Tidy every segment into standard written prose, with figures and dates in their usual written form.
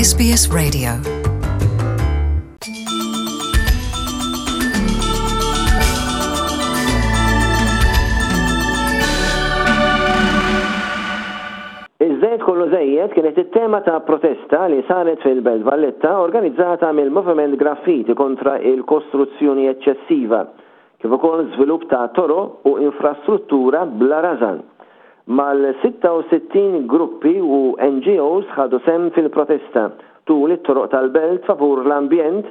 SBS Radio. Iż-żejt kollu żejjed kienet it-tema ta' protesta li saret fil-Belt Valletta organizzata mill-Moviment Graffiti kontra il-kostruzzjoni eċċessiva kif ukoll żvilupp ta' toroq u infrastruttura bla rażan. Mal-66 gruppi u NGOs ħadu sehem fil-protesta tul it-toroq tal-belt favur l-ambjent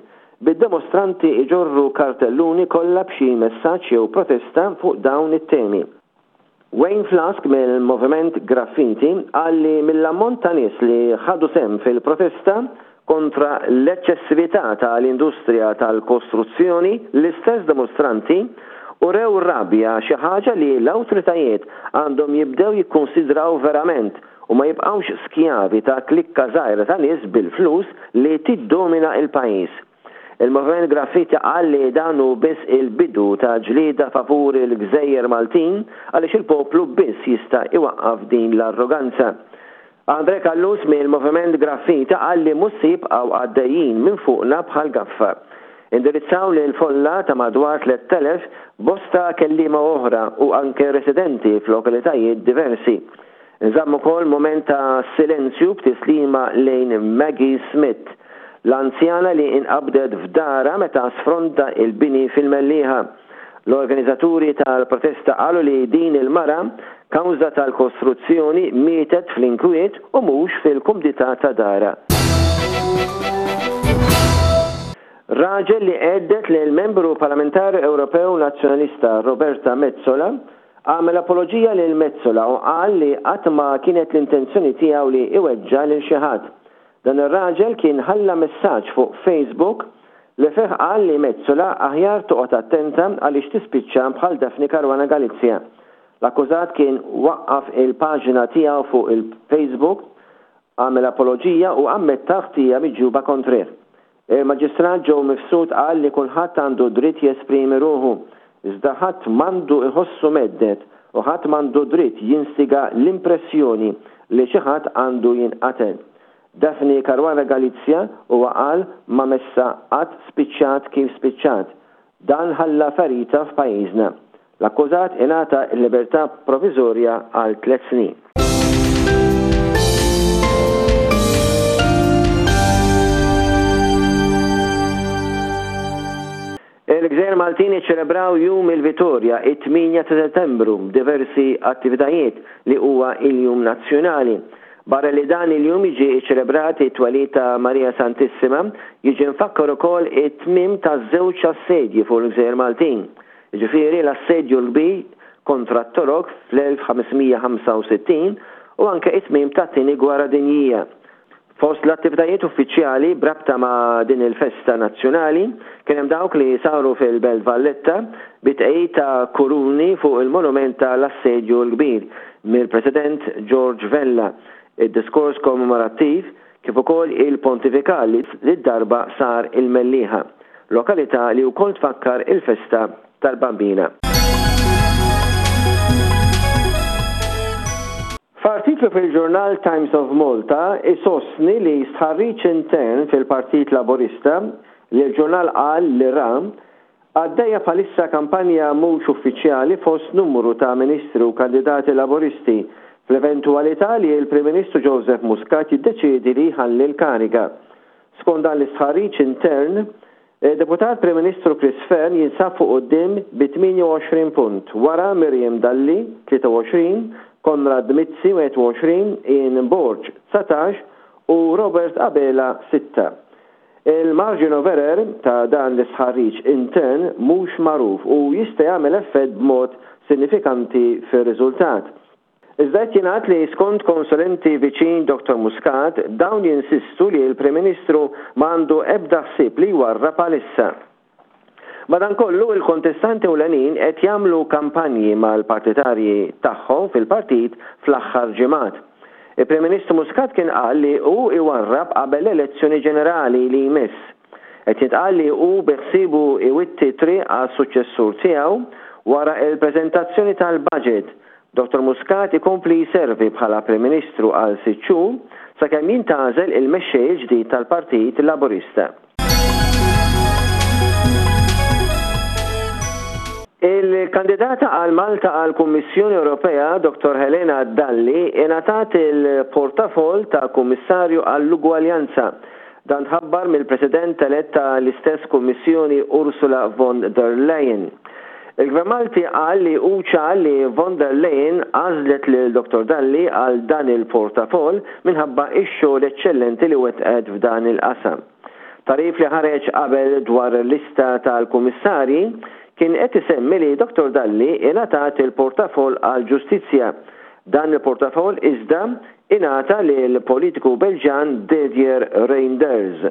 bid-demostranti iġorru kartelluni kollha b'xi messaġġ jew protesta fuq dawn it-temi. Wayne Flask mill-Moviment Graffiti qal li mill-ammont ta' nies li ħadu sehem fil-protesta kontra l-eċċessività ta' l-industrija tal-kostruzzjoni, l-istess dimostranti urew rabja xi ħaġa li l-awtoritajiet għandhom jibdew jikkunsidraw verament u ma jibqgħux skjavi ta' klikka żgħira ta' nies bil-flus li tiddomina l-pajjiż. Il-Moviment Graffiti qal li dan hu biss il-bidu ta' ġlieda favur il-gżejjer Maltin għaliex il-poplu biss jista' iwaqqaf din l-arroganza. Andre Callus mill-Moviment Graffiti qal li mhux se jibqgħu għaddejjin minn fuqna bħal gaffa. Indirizzaw lill-folla ta' madwar 3,000 bosta kelliema oħra u anke residenti f'lokalitajiet diversi. Inżamm ukoll mument ta' silenzju b'tislima lejn Maggie Smith, l-anzjana li inqabdet f'darha meta sfronda il-bini fil-Mellieħa. L-organizzaturi tal-protesta qalu li din il-mara, kawża tal-kostruzzjoni, mietet fl-inkwiet u mhux fil-kumdità ta' darha. Raġel li għedded lill-Membru Parlamentari Ewropew Nazzjonalista Roberta Metsola Għamel apoloġija lil Metsola u qal li qatt ma kienet l-intenzjoni tiegħu li iweġġa' lil xi ħadd. Dan ir-raġel kien ħalla messaġġ fuq Facebook li fih qal li Metsola aħjar toqgħod attenta għaliex tispiċċa bħal Daphne Caruana Galizia. L-akkużat kien waqqaf il-paġna tiegħu fuq il-Facebook, għamel apoloġija u ammetta l-ħtija miġjuba kontrih. Il-Maġistrat Joe Mifsud qal li kulħadd għandu dritt jesprimi ruħu, iżda ħadd m'għandu jħossu mhedded u ħadd m'għandu dritt jinstiga l-impressjoni li xi ħadd għandu jinqatel. Daphne Caruana Galizia, huwa qal, ma messha qatt spiċċat kif spiċċat. Dan ħalla ferita f'pajjiżna. L-akkużat ingħata l-libertà proviżorja għal tlett snin. Il-Gżejjer Maltin iċċelebraw Jum il-Vitorja it-8 ta' Settembru b'diversi attivitajiet li huwa il-Jum Nazzjonali. Barra li dan il-jum jiġi ċċelebrat it-twelid ta' Marija Santissima, jiġi mfakkar ukoll it-tmiem ta' żewġ assedji fuq il-Gżejjer Maltin, jiġifieri l-Assedju l-Kbir kontra t-Torok fl-1565 u anke it-tmiem tat-Tieni Gwerra Dinjija. Fost l-attivitajiet uffiċjali b'rabta ma' din il-festa nazzjonali kien hemm dawk li saru fil-Belt Valletta bi tqegħid ta' kuruni fuq il-monument ta' l-Assedju l-Kbir mill-President George Vella, id-diskors kommemorattiv kif ukoll il-pontifikal li d-darba sar il-Mellieħa, lokalità li wkoll tfakkar il-festa tal-Bambina. F'artiklu fil-ġurnal Times of Malta isostni li stħarriġ intern fil-Partit Laburista li l-ġurnal qal li ra, għaddejja bħalissa kampanja mhux uffiċjali fost numru ta' Ministri u kandidati Laburisti fl-eventwalità li l-Prim Ministru Joseph Muscat jiddeċiedi li jħalli l-kariga. Skont dan l-istħarriġ intern, Id-Deputat Prim Ministru Chris Fearne jinsab fuq quddiem bi 28 punt, wara Miriam Dalli, 23, Konrad Mizzi, 21, Ian Borg, 19, u Robert Abela, sitta. Il-margin of error ta' dan l-istħarriġ intern mhux magħruf u jista' jagħmel effett b'mod sinifikanti fir-riżultat. Iżda qed jingħad li skont konsulenti viċin Dottor Muscat, dawn jinsistu li l-Prim Ministru ma għandu ebda ħsieb li jwarrab għalissa. Madankollu, il-kontestanti ewlenin qed jagħmlu kampanji mal-partitarji tagħhom fil-partit fl-aħħar ġimgħat. Il-Prim Ministru Muscat kien qal li hu jwarrab qabel l-elezzjoni ġenerali li jmiss. Qed jintqal li hu beħsiebu jwitti t-triq għas-suċċessur tiegħu wara l-preżentazzjoni tal-budget. Dottor Muscat ikompli jservi bħala Prim Ministru għal sitt xhur sakemm jintgħażel il-mexxej il-ġdid tal-Partit Laburista. Il-kandidata għal Malta għall-Kummissjoni Ewropea, Dottor Helena Dalli, ingħatat il-portafoll ta' Kummissarju għall-Ugwaljanza. Dan tħabbar mill-President elett ta' l-istess Kummissjoni Ursula von der Leyen. Il-Gvern Malti qal li hu ċar li von der Leyen għażlet lil Dottor Dalli għal dan il-portafoll minħabba x-xogħol eċċellenti li wettqet f'dan il-qasam. Tagħrif li ħareġ qabel dwar lista tal-Kummissarji kien qed isemmi li Dottor Dalli ingħatat il-portafoll għall-Ġustizzja. Dan il-portafoll iżda ingħata lill-politiku Belġjan Didier Reynders.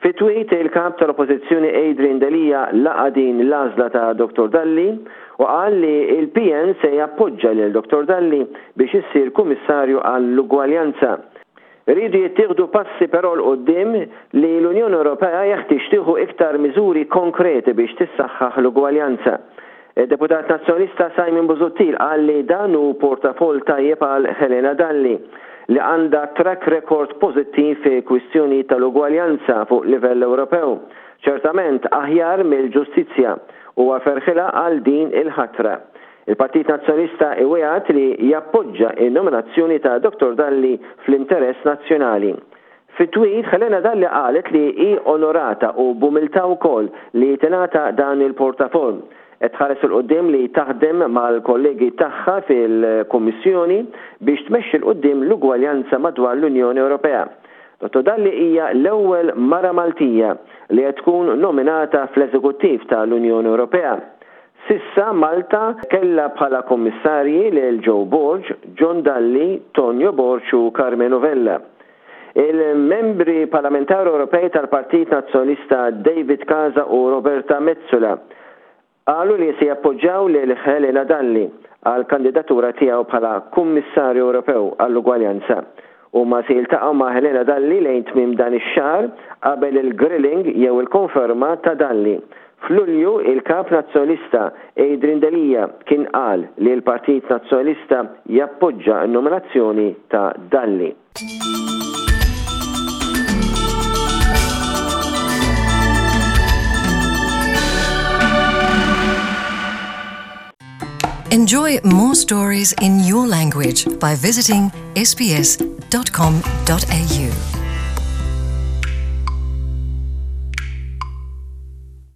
Fi tweet, il-Kap tal-Oppożizzjoni Adrian Delia laqa' din l-għażla ta' Dottor Dalli u qal li l-PN se jappoġġa lil Dottor Dalli biex issir Kummissarju għall-Ugwaljanza. Iridu jittieħdu passi però 'l quddiem li l-Unjoni Ewropea jeħtieġ tieħu iktar miżuri konkreti biex tissaħħaħ l-ugwaljanza. Id-Deputat Nazzjonalista Simon Busuttil qal li dan hu portafoll tajjeb għal Helena Dalli, li għandha track record pożittiv fi kwistjonijiet tal-ugwaljanza fuq livell Ewropew, ċertament aħjar mill-ġustizzja. Huwa ferħilha għal din il-ħatra. Il-Partit Nazzjonalista iwiegħed li jappoġġa n-nominazzjoni ta' Dottor Dalli fl-interess nazzjonali. Fi tweet, Helena Dalli qalet li hi onorata u b'umiltà wkoll li tingħata dan il-portafoll. Qed tħares 'il quddiem li taħdem mal-kollegi tagħha fil-Kummissjoni biex tmexxi 'l quddiem l-ugwaljanza madwar l-Unjoni Ewropea. Dottor Dalli hija l-ewwel mara Maltija li qed tkun nominata fl-Eżekuttiv tal-Unjoni Ewropea. S'issa Malta kellha bħala Kummissarji lil Joe Borg, John Dalli, Tonio Borg u Karmenu Vella. Il-Membri Parlamentari Ewropej tal-Partit Nazzjonalista David Casa u Roberta Metsola qalu li se jappoġġjaw lil Helena Dalli għall-kandidatura tiegħu bħala Kummissarju Ewropew għall-Ugwaljanza. Huma se jiltaqgħu ma' Helena Dalli lejn tmiem dan ix-xahar qabel il-grilling jew il-konferma ta' Dalli. F'Lulju, il-Kap Nazzjonalista Adrian Delia kien qal li l-Partit Nazzjonalista jappoġġa n-nominazzjoni ta' Dalli. Enjoy more stories in your language by visiting sbs.com.au.